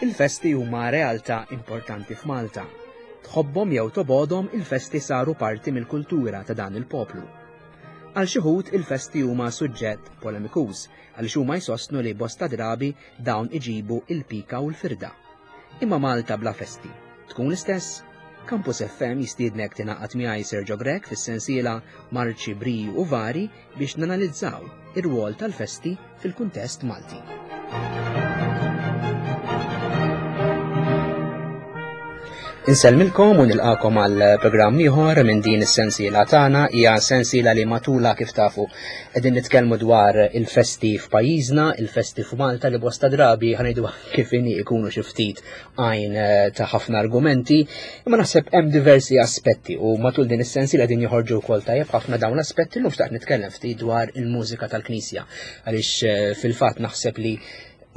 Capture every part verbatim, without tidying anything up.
Il-festi huma realtà importanti f'Malta. Tħobbhom jew tobgħodhom, il-festi saru parti mill-kultura ta' dan il-poplu. Għal xi wħud il-festi huma suġġett polemikuż għaliex huma jsostnu li bosta drabi dawn iġibu il-pika u l-firda. Imma Malta bla festi tkun l-istess? Campus F M jistiednek tingħaqad miegħi, Sergio Grech, fis-sensiela Marċi, Briju u Vari biex nanalizzaw ir-rwol tal-festi fil-kuntest Malti. Insellmilkom u nilqakom għal programm ieħor minn din is-sensiela tagħna. Hija sensiela li matula, kif tafu, qegħdin nitkellmu dwar il-festi f'pajjiżna, il-festi f'Malta li bosta drabi, ħa ngħidu kif inhi, ikunu xi ftit għajn eh, ta' ħafna argumenti, imma naħseb hemm diversi aspetti u matul din is-sensiela din joħorġu wkoll tajjeb ħafna dawn l-aspetti. Llum xtaqt nitkellem ftit dwar il-mużika tal-Knisja għaliex eh, fil-fatt naħseb li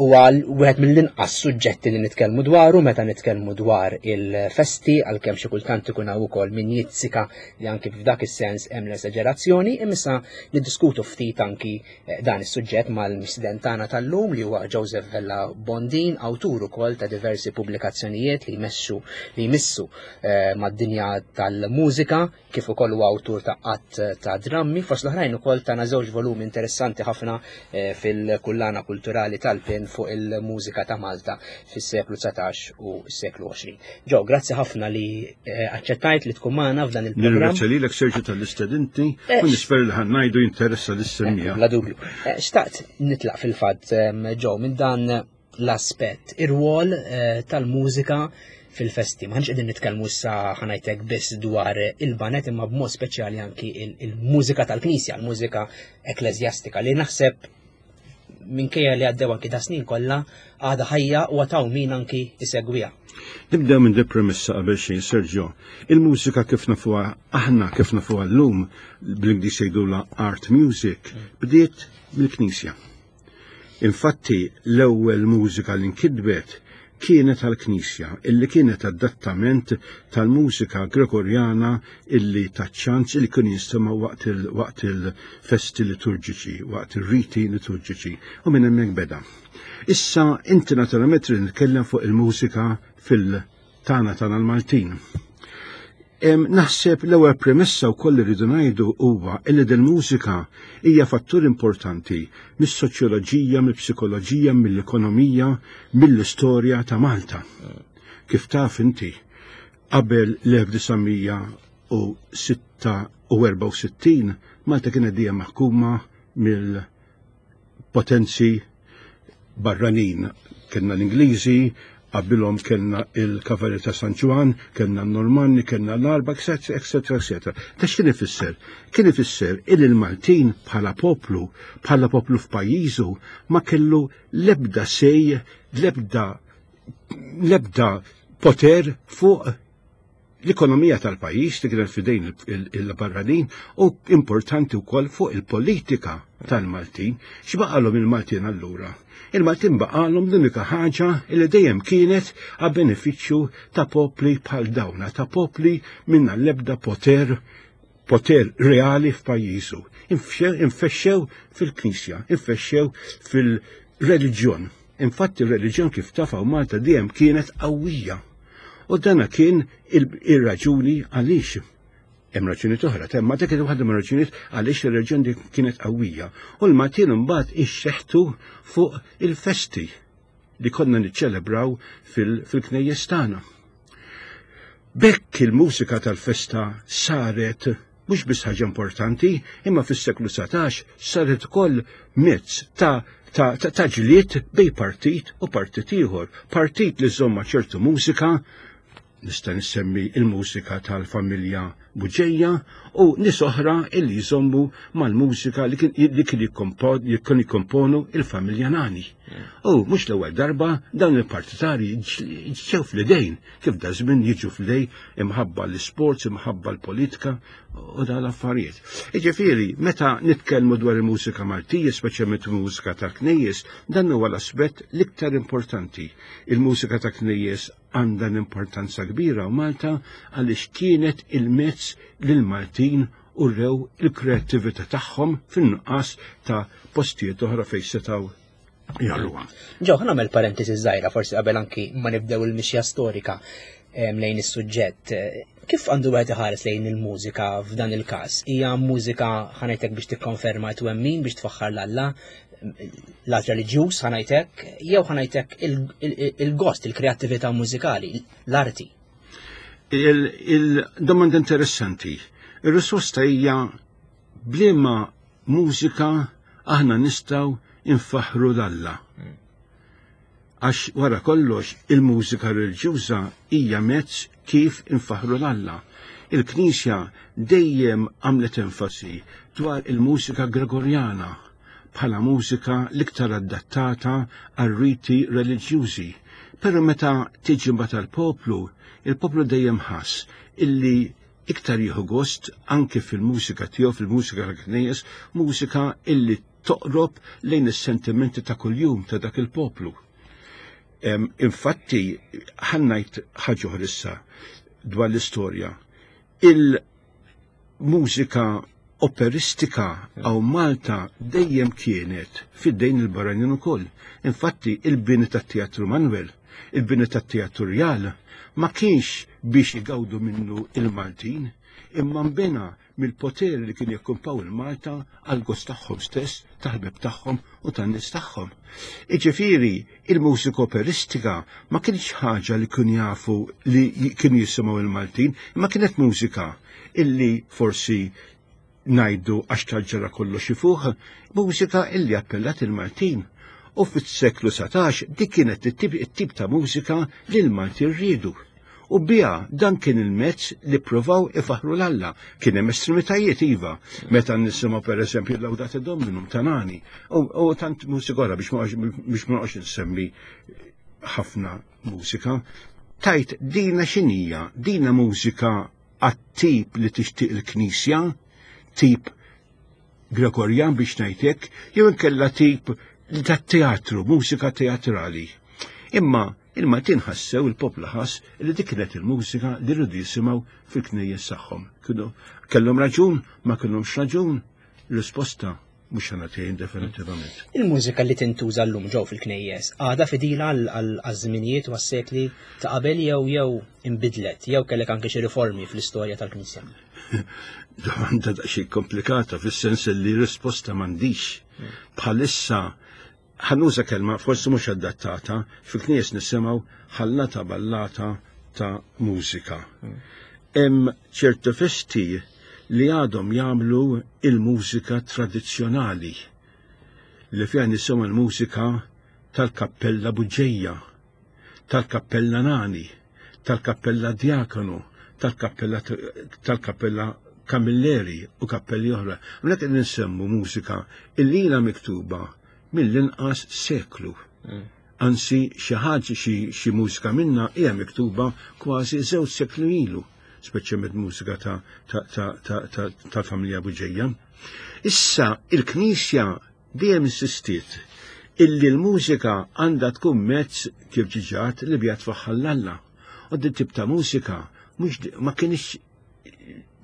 huwa wieħed mill-inqas suġġetti li nitkellmu dwaru meta nitkellmu dwar il-festi, għalkemm xi kultant ikun hawn ukoll min jizzika li anki f'dak is-sens hemm l-esaġerazzjoni, imma issa niddiskutu ftit anki eh, dan is-suġġett mal-mistieden tagħna tal-lum li huwa Joseph Vella Bondin, awtur ukoll ta' diversi pubblikazzjonijiet li jmexxu li jmissu eh, mad-dinja tal-mużika, kif ukoll huwa awtur ta' qatt ta' drammi, fost l-oħrajn ukoll tana żewġ volumi interessanti ħafna eh, fil-kullana kulturali tal-PIN fuq il-mużika ta' Malta fis-seklu dsatax u s-seklu għoxrin. Ġo, grazzi ħafna li eh, aċċettajt li tkun magħna f'dan il-programm. Nirringrazzja lilek, Sergio, tal-istedinti Eh, u nispera li ħa ngħidu jinteressa lis-semmiegħa. Bla dubju. Eh, Xtaqt nitlaq fil-fatt, em, Ġo, minn dan l-aspett, ir-rwol eh, tal-mużika fil-festi. M'aħniex qegħdin nitkellmu issa, ħa ngħidlek, biss dwar il-baned, imma b'mod speċjali anki il- il-mużika tal-Knisja, il-mużika ekklesjastika li naħseb, minkejja li għaddew anki da snin kollha, għadha ħajja u għad hawn min anki isegwiha. Nibdew minn di premessa qabel xejn, Sergio. Il-mużika kif nafuha aħna, kif nafuha llum, bl-Ingliż jgħidulha art music, bdiet mill-Knisja. Infatti l-ewwel mużika li nkitbet kienet għal-Knisja, illi kienet adattament tal-mużika Gregorjana illi taċ-ċans illi kien jinstema' waqt il- waqt il-festi liturġiċi, waqt il-riti liturġiċi, u minn hemmhekk beda. Issa inti naturalment trid nitkellem fuq il-mużika fil-tana tana l-Maltin. Em, Naħseb l-ewwel premessa wkoll li rridu ngħidu huwa illi del-mużika hija fattur importanti mis-soċjoloġija, mill-psikoloġija, mill-ekonomija, mill-istorja ta' Malta. Kif taf inti, qabel l-elf disa' mija u sitta u erbgħa u sittin Malta kienet dejjem maħkuma mill-potenzi barranin. Kellna l-Ingliżi, qabilhom kellna il-Kavalier ta' San Ġwann, kellna l-Normanni, kellna l-Għarab, eccetera, eccetera, eccetera. Ta' x'kien ifisser? Kien ifisser il il-Maltin bħala poplu, bħala poplu f'pajjiżu, ma kellu lebda sej, lebda lebda poter fuq l-ekonomija tal-pajjiż li kienet fidejn il-barranin u importanti wkoll fuq il-politika tal-Maltin. X'baqalhom il-Maltin allura? Il-Maltin baqalhom l-unika ħaġa li dejjem kienet għal benefiċċju ta' popli bħal dawna, ta' popli minna l-ebda poter poter reali f'pajjiżu. Infexxew fil-Knisja, infexxew fil-reliġjon. Infatti il-reliġjon, kif tafaw, Malta dejjem kienet qawwija. U dana kien il-raġuni għaliex, hemm raġuni oħra, imma dik waħda mir raġunijiet għaliex ir-reġjun dik kienet qawwija. U l-Maltin imbagħad ixxeħtu fuq il-festi li konna niċċelebraw fil-knejjes tagħna. B'hekk il-mużika tal-festa saret mhux biss ħaġa importanti, imma fis-seklu dsatax saret ukoll mezz ta' ta' ta' ta' ġlied bejn partit u partit ieħor. Partit li żomma ċertu mużika, nista' nissemmi il-mużika tal-familja Buġeja, u nies oħra illi jżommu mal-mużika li kien li kien jikkomponu il-familja Nani. U mhux l-ewwel darba dawn il-partitari ġew fl-idejn, kif da żmien jiġu fl-idej imħabba l-sports, imħabba l-politika u dan l-affarijiet. Iġifieri, meta nitkellmu dwar il-mużika Maltija, speċjalment il-mużika tal-knejjes, dan huwa l-aspett l-iktar importanti. Il-mużika ta' knejjes għandha l-importanza kbira u Malta għaliex kienet il-mezz lil Maltin u rew il-kreattività tagħhom fin-nuqqas ta' postijiet oħra fejn setgħu Jagħmluha. Ġo, ħa nagħmel parentesi żgħira forsi qabel anki ma nibdew il-mixja storika lejn is-suġġett. Kif għandu wieħed iħares lejn il-mużika f'dan il-każ? Hija mużika, ħa ngħidlek, biex tikkonferma twemmin, biex tfaħħar 'l Alla, lat reliġjuż, ħa ngħidlek, jew, ħa ngħidlek, il-gost, il-kreattività mużikali, l-arti? Il-domanda interessanti. Il-risposta hija b'liema mużika aħna nistgħu infaħru 'l Alla. Għax wara kollox il-mużika reliġjuża hija mezz kif infaħru 'l Alla. Il-Knisja dejjem għamlet enfasi dwar il-mużika Gregorjana bħala mużika l-iktar adattata għal riti reliġjużi. Però meta tiġi mbagħad għall-poplu, il-poplu dejjem ħass illi iktar jieħu gost anke fil-mużika tiegħu, fil-mużika tal-knejjes, mużika illi toqrob lejn is-sentimenti ta' kuljum ta' dak il-poplu. Infatti, ħa ngħid ħaġa issa dwar l-istorja. Il-mużika operistika hawn Malta dejjem kienet f'idejn il-barranin ukoll. Infatti, il-bini tat-Teatru Manuel, il-bini tat-Teatru Rjal, ma kienx biex igawdu minnu il-Maltin, imma mbena mill-poter li kien jokkupaw il-Malta għal gost tagħhom stess, tal-ħbieb tagħhom u tan-nies tagħhom. Iġifieri, il-mużika operistika ma kienx ħaġa li kien jafu li kienu jisimgħu il-Maltin, imma kienet mużika illi forsi ngħidu għax tal-ġara kollox ifuħ, mużika illi appellat il-Maltin. U fis-seklu satax dik kienet it-tip ta' mużika li l-Maltin rridu. U biha dan kien il-mezz li provaw ifaħru 'l Alla. Kien hemm estremitajiet, iva. Meta nisimgħu, pereżempju, Laudate Dominum ta' Nani. U tant mużika oħra, biex ma noqgħodx insemmi ħafna mużika. Tgħid dina x'inhija? Dina mużika għat-tip li tixtieq il-Knisja, tip Gregorjan biex ngħidlek, jew inkella tip tat-teatru, mużika teatrali? Imma il-Maltin ħassew, il-poplu ħass li dik kienet il-mużika li rridu jisimgħu fil-knejjes tagħhom. Kienu kellhom raġun, ma kellhomx raġun? Risposta mhux ħa nagħtiha definitivament. Il-mużika li tintuża llum ġew fil-knejjes għadha fidila għal-żminijiet u għas-sekli ta' qabel jew jew imbidlet jew kellek anke xi riformi fl-istorja tal-Knisja? Domanda daqsxejn komplikata fis-sens li risposta m'għandix. Bħalissa, ħa nuża kelma forsi mhux adattata, fil-knejjes nisimgħu ħallata ballata ta' mużika. Hemm ċertu festi li għadhom jagħmlu il-mużika tradizzjonali li fiha nisimgħu l-mużika tal-Kappella Buġġeja, tal-Kappella Nani, tal-Kappella Diakonu, tal-Kappella tal-Kappella Camilleri u kappelli oħra. Hawnhekk qed nsemmu mużika illi ilha miktuba mill-inqas seklu. Anzi, xi ħaġa, xi mużika minna hija miktuba kważi żewġ seklu ilu, speċjalment mużika ta' ta' familja Buġeja. Issa il-Knisja dejjem insistiet illi l-mużika għandha tkun mezz, kif ġiġat, li biha tfaħħar 'l Alla. U din tip ta' mużika mhux ma kienx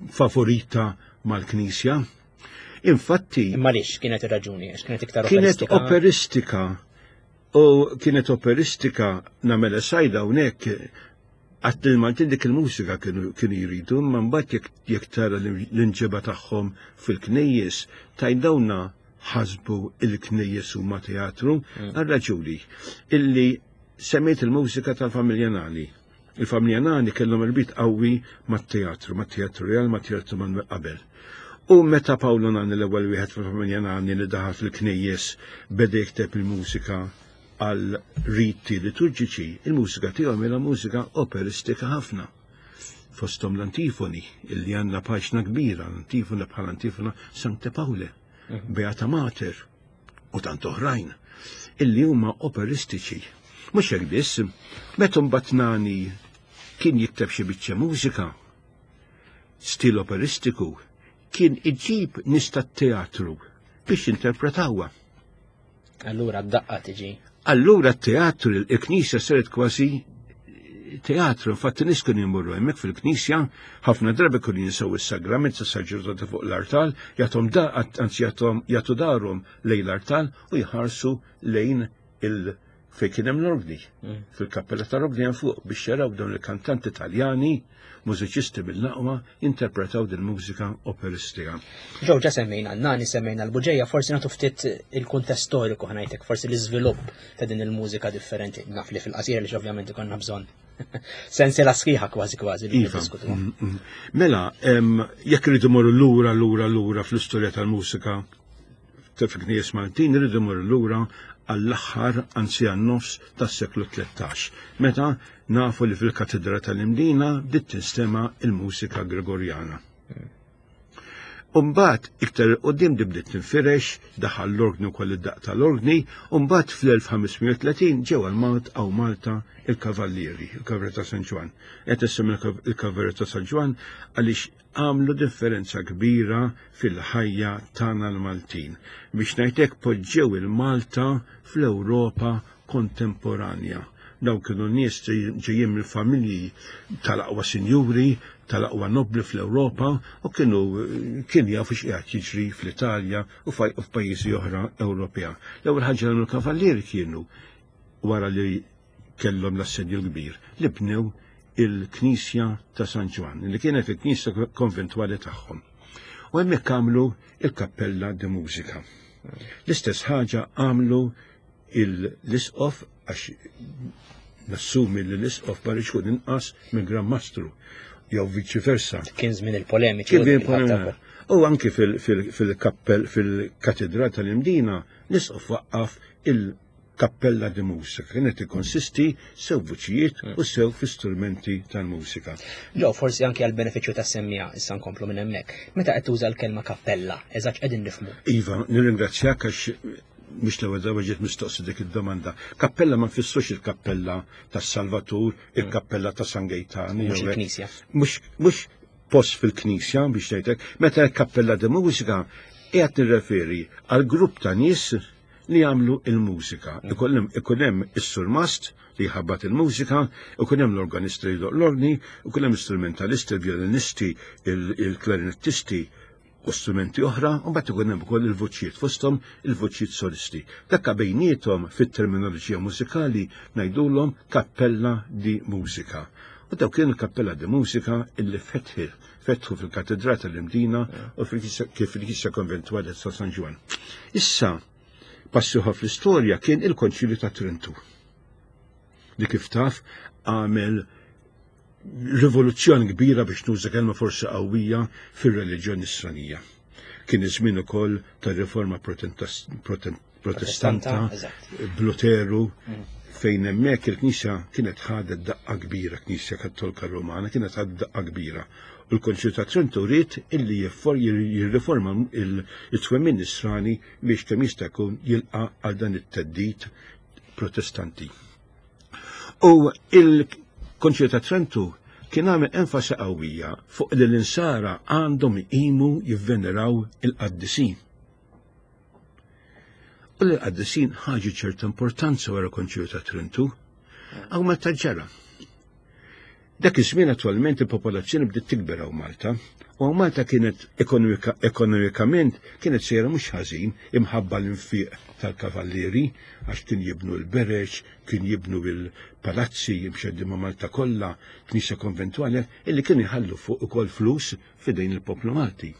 favorita mal-Knisja. Infatti. Imma lix kienet ir-raġuni? Għax kienet iktar Kienet operistika. U kienet operistika, nagħmel sajda hawnhekk, għat il-Maltin dik il-mużika kienu jridu, ma mbagħad jekk tara l-inġiba tagħhom fil-knejjes, tgħid dawna ħasbu il-knejjes huma teatru, mm. għal-raġuni illi semmejt, il-mużika tal-familja Nani. Il-familja Nani kellhom irbit qawwi mat-teatru, mat-Teatru Real, mat-Teatru Manuel qabel. U meta Paolo Nani, l-ewwel wieħed fil-familja Nani li daħal fil-knejjes, beda jikteb il-mużika għal riti liturġiċi, il-mużika tiegħu mela mużika operistika ħafna. Fostom l-antifoni, illi għandna paġna kbira, l-antifona bħal antifona Sancte Paule, mhm. Beata Mater, u tant oħrajn, illi huma operistiċi. Mhux hekk biss, meta mbagħad Nani kien jikteb xi biċċa mużika, stil operistiku, kien iġib nies tat-teatru biex interpretawha. Allura d-daqqa tiġi. Allura t-teatru, il-knisja saret kważi teatru, infatti nies kienu jmorru hemmhekk fil-knisja, ħafna drabi kienu jinsew is-sagrament tas-saċerdoti fuq l-artal, jagħtuhom da anzi jagħtuhom jagħtu darhom lejn l-artal u jħarsu lejn il fejn kien hemm l-orgni. Fil-kappella tal-orgni hemm fuq biex jaraw dawn il-kantanti Taljani, mużiċisti mill-aqwa, jinterpretaw din mużika operistika. Ġew ġa semmejna n-nani, semmejna l-Buġeja, forsi nagħtu ftit il-kuntest storiku ħa ngħidlek, forsi l-iżvilupp ta' din il-mużika differenti. Naf li fil-qasira li ovvjament ikollna bżonn sensiela sħiħa kważi kważi li Iva. niddiskutu. Mm, mm. Mela, em, jekk rridu morru lura, lura, lura fl-istorja tal-mużika ta' fil-knejjes Maltin, rridu morru lura għall-aħħar, anzi għan-nofs tas-seklu tlettax. Meta nafu li fil-Katedra tal-Imdina bdiet tinstema' il-mużika Gregorjana. Umbat, iktar qoddim di bdiet tinfirex, daħal l-orgni u koll id-daq tal-orgni, umbat fl-elf ħames mija u tletin ġew għal-Malt għaw Malta il-Kavallieri, il-Kavallieri ta' San Ġwann. Qed issemmi il-Kavallieri ta' San Ġwann għaliex għamlu differenza kbira fil-ħajja tagħna l-Maltin. Biex ngħidlek poġġew il-Malta fl-Ewropa kontemporanja. Daw kienu nies ġejjin mill-familji tal-aqwa sinjuri, tal-aqwa nobli fl-Ewropa u kienu kien jafu x'qiegħed jiġri fl-Italja u f'pajjiżi oħra Ewropea. L-ewwel ħaġa li l-kavallieri kienu wara li kellhom l-assedju l-kbir li bnew il-Knisja ta' San Ġwann, li kienet il-Knisja konventwali tagħhom. U hemmhekk għamlu il-Kappella de Musica. L-istess ħaġa għamlu l-isqof, għax nassumi li l-isqof ma rridx ikun inqas minn Gran Mastru, jew viċi versa. Kien żmien il-polemiċi. Kien żmien il-polemiċi. U anki fil-kappell, fil-katedral tal-Imdina, l-isqof waqqaf il-Kappella de Musica, kienet ikkonsisti sew vuċijiet u sew fi strumenti tal-mużika. Ġo, forsi anki għal benefiċċju tas-semmiegħa, issa nkomplu minn hemmhekk. Meta qed tuża l-kelma kappella, eżatt qegħdin nifhmu? Iva, nirringrazzjak għax mhux l-ewwel darba ġiet mistoqsi dik id-domanda. Kappella ma nfissrux il-kappella tas-Salvatur, il-kappella ta' San Gejtani. Mhux il-knisja. Mhux post fil-knisja biex ngħidlek, meta l-Kappella de Musica qiegħed nirreferi għal grupp ta' nies li jagħmlu il-mużika. Ikun hemm is-surmast li jħabbat il-mużika, ikun hemm l-organisti li jdoq l-orgni, ikun hemm istrumentalisti, il-violinisti, il-klarinettisti u strumenti oħra, u mbagħad ikun hemm ukoll il-vuċijiet fosthom il-vuċijiet solisti. Dakka bejniethom fit-terminoloġija mużikali ngħidulhom kappella di mużika. U dawk kienu kappella di mużika illi fetħi fetħu fil-katedra tal-Imdina u kif fil-Knisja Konventwali ta' San Ġwann. Issa, passiħa fl-istorja kien il-Konċilju ta' Trentu. Li kif taf għamel rivoluzzjoni kbira, biex nuża kelma forsi qawwija, fir-reliġjoni Nisranija. Kien iż-żmien ukoll tar-riforma protestanta, b'Luteru, fejn hemmhekk il-Knisja kienet ħadet daqqa kbira, Knisja Kattolika Romana kienet ħadet daqqa kbira. U l-Konċilju ta' Trentu ried illi jirriforma il-twemmin Nisrani biex kemm jista' jkun jilqa' għal dan it-theddid protestanti. U il-Konċilju ta' Trentu kien għamel enfasi qawwija fuq li l-insara għandhom iqimu jivveneraw il-qaddisin. U l-qaddisin ħaġu ċerta importanza wara Konċilju ta' Trentu, għaw meta ġara. Dak iż-żmien attualment il-popolazzjoni bdiet tikber hawn Malta, u hawn Malta kienet ekonomikament kienet sejra mhux ħażin imħabba l-infiq tal-kavallieri, għax kien jibnu l-bereġ, kien jibnu l-palazzi jimxeddi ma' Malta kollha, knisja konventwali, illi kienu jħallu fuq ukoll flus f'idejn il-poplu Malti.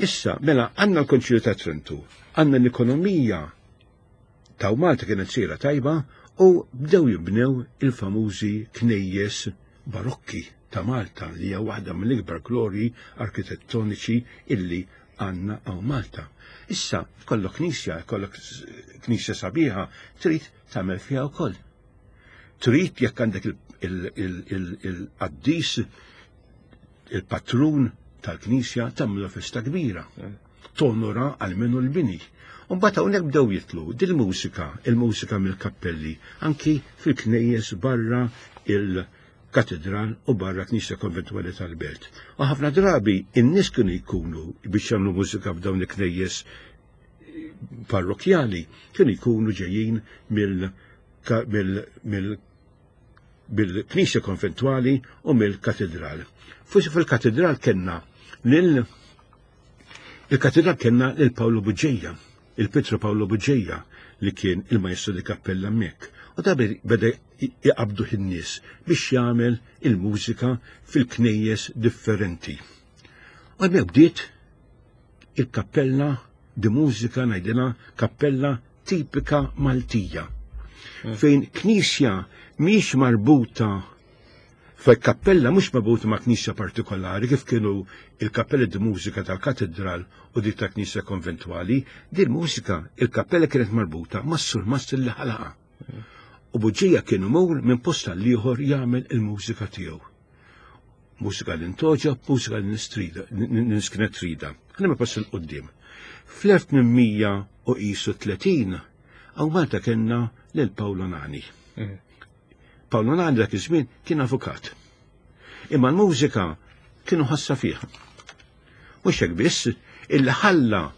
Issa, mela, għandna l-Konċilju ta' Trentu, għandna l-ekonomija ta' Malta kienet sejra tajba u bdew jibnew il-famużi knejjes barokki ta' Malta, li hija waħda mill-ikbar glorji arkitettoniċi illi għandna għaw Malta. Issa, kollok knisja, kollok knisja sabiħa, trid tagħmel fiha wkoll. Trid jekk għandek il-qaddis, il-patrun tal-knisja, tagħmlu festa kbira. Tonora għalmenu l-bini. U mbagħad hawnhekk bdew jitlu dil-mużika, il-mużika mill-kappelli, anki fil-knejjes barra il-katedral u barra knisja konventwali tal-belt. U ħafna drabi in-nies kienu jkunu biex jagħmlu mużika f'dawn il-knejjes parrokjali, kienu jkunu ġejjin bil-Knisja Konventwali u mill-Katedral. Forsi fil-Katedral kellna lil il-Katedral kellna lil Paolo Buġeja, il-Pietro Paolo Buġeja li kien il-majestru di kappella hemmhekk. U da beda jqabdu in-nies biex jagħmel il-mużika fil-knejjes differenti. U hemmhekk bdiet il-kappella di mużika ngħidilha kappella tipika Maltija. Fejn knisja mhix marbuta fej kappella mhux marbuta ma' knisja partikolari kif kienu il-kappella di mużika tal-katedral u dik ta' knisja konventwali, din mużika il-kappella kienet marbuta mas-surmast li ħalaqa. U Buġija kien imur minn post għal ieħor jagħmel il-mużika tiegħu. Mużika li ntoġob, mużika li nistrida, nies kienet trida. Ħa pass 'il quddiem. Fl-elf tmien mija u qisu tletin hawn Malta kellna lil Paolo Nani. Paolo Nani dak iż-żmien kien avukat. Imma l-mużika kienu ħassa fih. Mhux hekk biss, illi ħalla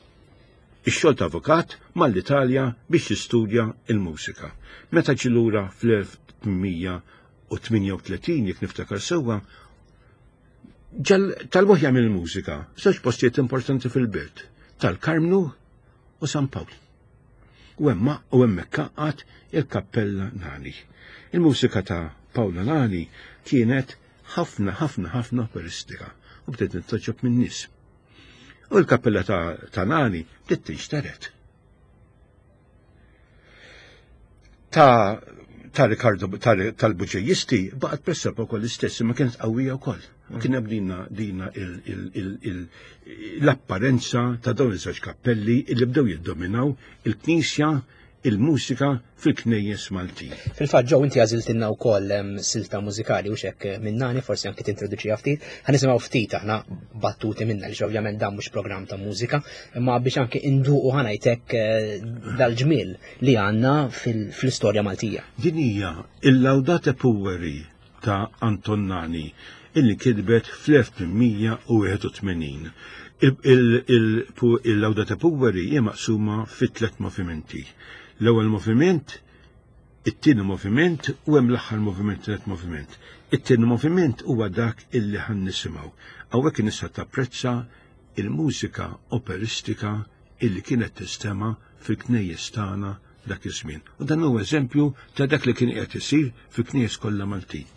ix-xogħol ta' avukat mal-Italja biex jistudja il-mużika. Meta ġie lura fl-elf tmien mija u tmienja u tletin, jekk niftakar sewwa, talbuh jagħmel il-mużika f'żewġ postijiet importanti fil-belt, tal-Karmnu u San Pawl. U hemma u hemmhekk għaqqad il-Kappella Nani. Il-mużika ta' Paolo Nani kienet ħafna ħafna ħafna operistika u bdiet nittoġob min-nies. U l-kappella ta', ta Nani bdiet tinxteret. Ta' ta' Ricardo tal-Buġejisti baqgħet pressappoco l-istess, ma kienet qawwija wkoll. Kien hemm dina dina l-apparenza ta' dawn iż-żewġ kappelli li bdew jiddominaw il-Knisja, il-mużika fil-knejjes Maltin. Fil-fatt ġew inti għażiltilna wkoll silta mużikali u xek minn Nani, forsi anki tintroduċiha ftit. Ħa nisimgħu ftit aħna battuti minna li ovvjament dan mhux programm ta' mużika, imma biex anki induqu ħa ngħidlek dal-ġmiel li għandna fl-istorja Maltija. Din hija il-Laudate Pueri ta' Anton Nani illi kitbet fl-elf tmien mija u wieħed u tmenin. Il-Laudate Pueri hija maqsuma fi tliet movimenti. L-ewwel moviment, it-tieni moviment u hemm l-aħħar moviment, tliet moviment. It-tieni moviment huwa dak illi ħan nisimgħu. Hawnhekk nista' tapprezza il-mużika operistika illi kienet tistema fil-knejjes tagħna dak iż-żmien. U dan huwa eżempju ta' dak li kien qiegħed isir fil-knejjes kollha Maltin.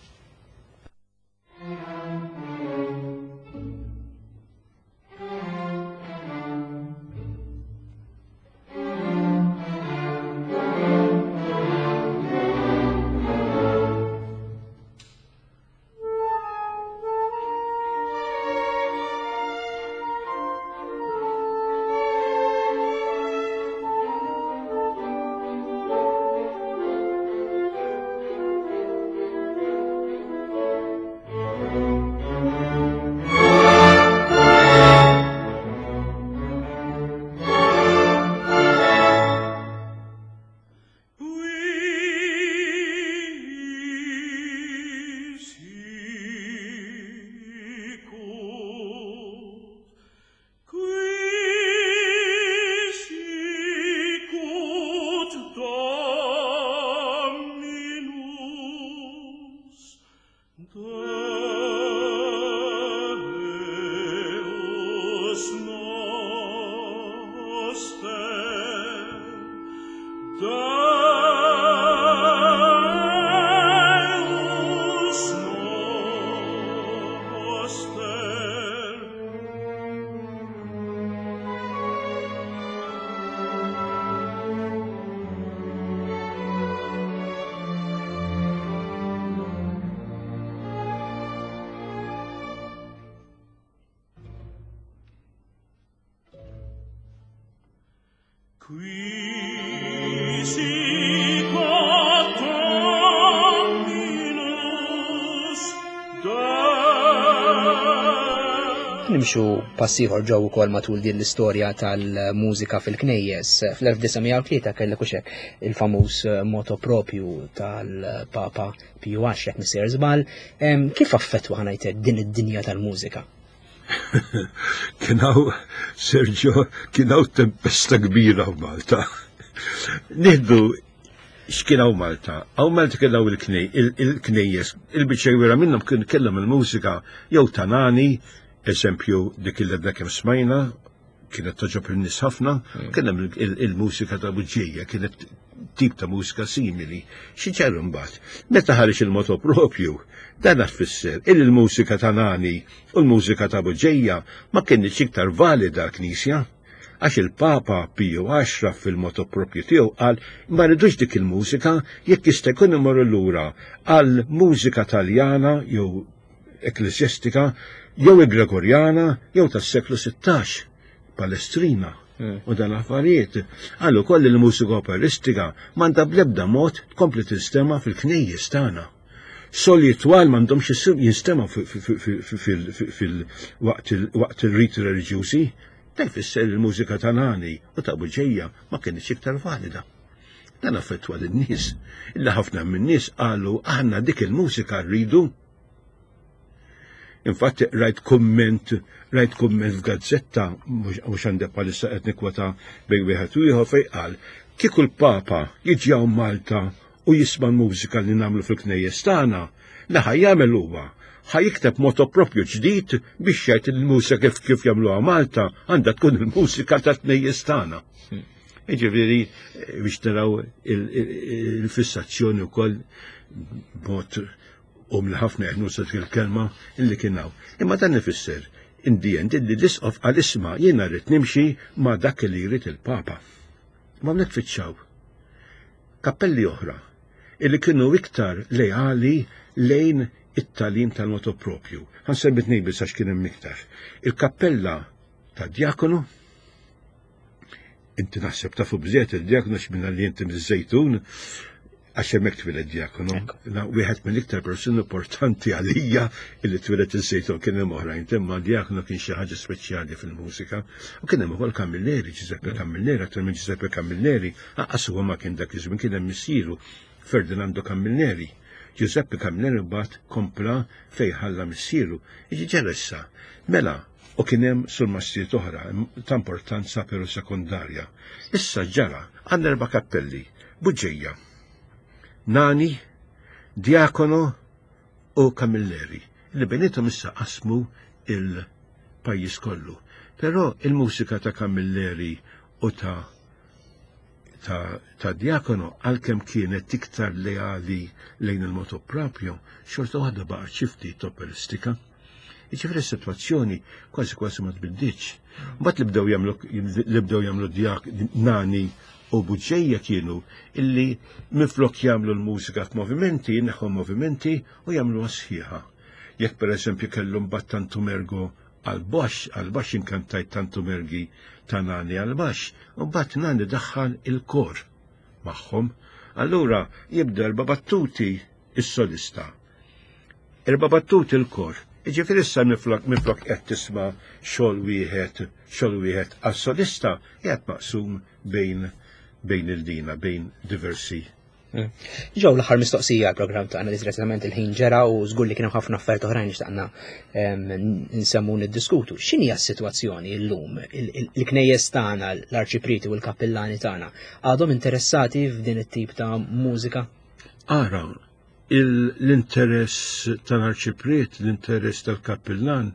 Qui sicut Dominus Nimxu pass ieħor ġew ukoll matul din l-istorja tal-mużika fil-knejjes. Fl-elf disa' mija u tlieta kellek uxek il-famuż motu propju tal-Papa Piju Għaxra, jekk m'iniex sejjer żball. Kif affettwa ħa ngħidlek din id-dinja tal-mużika? Kien hawn, Sergio, kien hawn tempesta kbira f'Malta. Nieħdu X'kien hawn Malta? Hawn Malta kien hawn il-knejjes, il-biċċa kbira minnhom kien kellhom il-mużika jew ta' Nani, eżempju dik il għadna kemm smajna, kienet togħġob in-nies ħafna, kien hemm il-mużika ta' Buġġeja, kienet tip ta' mużika simili. Xi ġara mbagħad? Meta ħareġ il-moto propju, dan tfisser il il-mużika ta' Nani u l-mużika ta' Buġġeja ma kienx iktar valida l-Knisja. Għax il-Papa Piju Għaxra fil-moto propju tiegħu qal ma rridux dik il-mużika, jekk jista' jkun imorru lura għal mużika Taljana jew ekkleżjastika jew Gregorjana jew tas-seklu sittax, Palestrina u dan affarijiet. Għallu koll il-mużika operistika m'għandha bl-ebda mod tkompli tinstema' fil-knejjes tagħna. Soli twal m'għandhomx jinstema' fil-waqt il-riti reliġjużi. Dan jfisser il-mużika ta' Nani u ta' Buġġeja ma kienx iktar valida. Dan affettwa lin-nies. Illa ħafna min-nies qalu aħna dik il-mużika rridu. Infatti rajt kumment, rajt kumment f'gazzetta, mhux għandek bħalissa qed nikkwota bejn wieħed u ieħor fejn qal kieku l-Papa jiġi hawn Malta u jisma' l-mużika li nagħmlu fil-knejjes tagħna, li ħa jagħmel huwa ħa jikteb moto propju ġdid biex jgħid il-mużika kif kif jagħmluha Malta għandha tkun il-mużika ta' knejjes tagħna. Jiġifieri biex naraw il-fissazzjoni wkoll b'mod u mill ħafna qed nuża dik il-kelma illi kien hawn. Imma dan ifisser in the end illi l-isqof qal isma' jiena rrid nimxi ma' dak li jrid il-Papa. Ma nitfittxaw kappelli oħra illi kienu iktar leali lejn it-tagħlim tal-moto propju. Ħa nsemmi tnejn biss għax kien hemm iktar. Il-kappella ta' Diakonu, inti naħseb tafu bżiet il-Diakonu x'minna li inti miż-Żejtun, għax hemmhekk twieled Diakonu. Wieħed mill-iktar persuni importanti għalija illi twieled iż-Żejtun, kien hemm oħrajn, imma Diakonu kien xi ħaġa speċjali fil-mużika. U kien hemm ukoll Camilleri, Giuseppe Camilleri, aktar minn Giuseppe Camilleri, anqas huwa ma kien dak iż-żmien, kien hemm missieru Ferdinando Camilleri. Giuseppe Camilleri mbagħad kompla fejn ħalla missieru. Iġi ġara issa. Mela, u kien hemm surmastijiet oħra ta' importanza però sekondarja. Issa ġara għandna erba' kappelli, Buġġeja, Nani, Diakono u Camilleri, li bejniethom issa qasmu il-pajjiż kollu. Però il-mużika ta' Camilleri u ta' ta', ta' Diakono, għalkemm kienet iktar leali lejn il-moto proprio, xorta waħda baqgħet xi ftit operistika. Jiġifieri s-sitwazzjoni kważi kważi ma tbiddiċ. Mbagħad li bdew jagħmlu li bdew jagħmlu Diak Nani u Buġġeja kienu illi minflok jagħmlu l-mużika f'movimenti, jneħħu movimenti u jagħmluha sħiħa. Jekk pereżempju kellhom mbagħad Tantum Ergo għal-baxx, għal-baxx inkantajt Tantum Ergi ta' Nani għal-baxx, u mbagħad Nani daħħal il-kor magħhom. Allura jibda erba' battuti is-solista, erba' battuti il-kor. Jiġifieri issa minflok minflok qed tisma' xogħol wieħed, xogħol wieħed għas-solista qiegħed maqsum bejn bejn il-dina, bejn diversi. Ġew l-aħħar mistoqsija għall-programm tagħna li direttament il-ħin ġera u żgur li kienu ħafna affarijiet oħrajn xtaqna nsemmu niddiskutu. X'inhi s-sitwazzjoni llum? Il-knejjes tagħna, l-arċipriti u l-kappillani tagħna għadhom interessati f'din it-tip ta' mużika? Ara, l-interess tal-arċipriet, l-interess tal-kappillan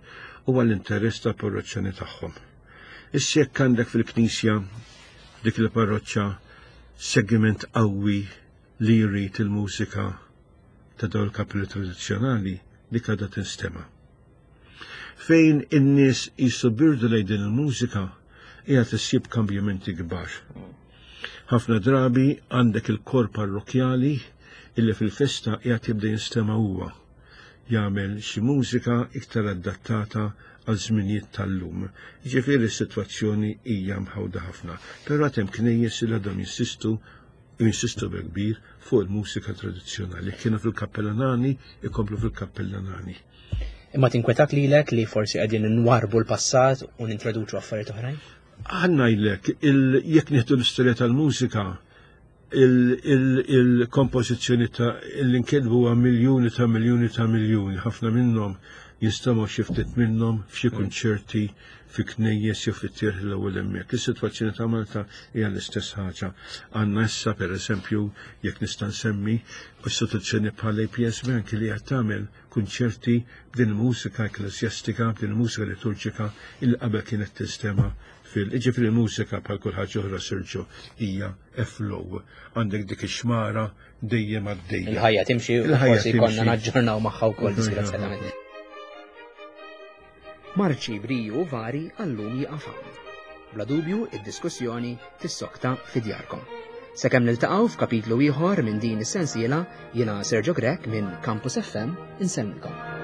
huwa l-interess tal-parroċċani tagħhom. Issa jekk għandek fil-knisja dik il-parroċċa segment qawwi li jrid il-mużika ta' dawn il-kappelli tradizzjonali, dik għadha tinstema'. Fejn in-nies jisu birdu lejn din il-mużika, hija tissib kambjamenti kbar. Ħafna drabi għandek il-kor parrokjali illi fil-festa qiegħed jibda jinstema' huwa jagħmel xi mużika iktar adattata għal żminijiet tal-lum. Ġifieri s-sitwazzjoni hija mħawda ħafna, però għad hemm knejjes li għadhom jinsistu jinsistu kbir fuq il-mużika tradizzjonali. Kienu fil-Kappella Nani, ikomplu fil-Kappella Nani. Imma tinkwetak lilek li forsi qegħdin nwarbu l-passat u nintroduċu affarijiet oħrajn? Ħa ngħidlek, jekk nieħdu l-istorja tal-mużika, il-kompożizzjoni ta' l-inkitbu huwa miljuni ta' miljuni ta' miljuni, ħafna minnhom Jinstemgħu xi ftit minnhom f'xi kunċerti fi knejjes jew fit-tierħ l-ewwel hemmhekk. Is-sitwazzjoni ta' Malta hija l-istess ħaġa. Għandna issa, pereżempju, jekk nista' nsemmi, istituzzjoni bħal A P S Bank li qed tagħmel kunċerti b'din il-mużika ekkleżjastika, b'din il-mużika liturġika il qabel kienet tinstema' fil Ġifieri mużika, bħal kull ħaġa oħra, Sergio, hija flow. Għandek dik ix-xmara dejjem għaddejja. Il-ħajja timxi u Il-ħajja forsi konna timxi. naġġornaw magħha wkoll, Il-ħajja. disgrazzjatament. Marċi Briju Vari għallum jieqaf hawn. Bla dubju, id-diskussjoni tissokta fi djarkom. Sakemm niltaqgħu f'kapitlu ieħor minn din is-sensiela, jiena Sergio Grech minn Campus F M insellmilkom.